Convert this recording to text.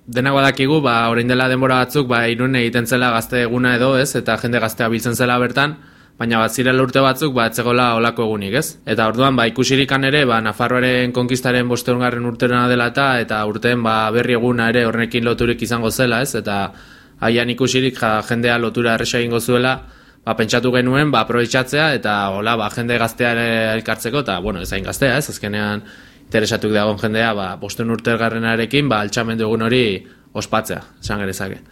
denak badakigu, orain dela denbora batzuk, Irun egiten zela gazte eguna edo, ez? Eta jende gaztea biltzen zela bertan, baina zirela urte batzuk, etzegola olako egunik, ez? Eta orduan, ikusirikan ere, Nafarroaren konkistaren 500. urterena dela eta urteen berri eguna ere horrekin loturik izango zela, ez? Eta haian ikusirik jendea lotura erresa egingo zuela, pentsatu genuen, aprobetxatzea, eta jende gaztea elkartzeko, eta, ez hain gaztea, ez? Azkenean, interesatuk dagoen jendea, 500. urtenarekin, altxamendu egun hori ospatzea, esan genezake.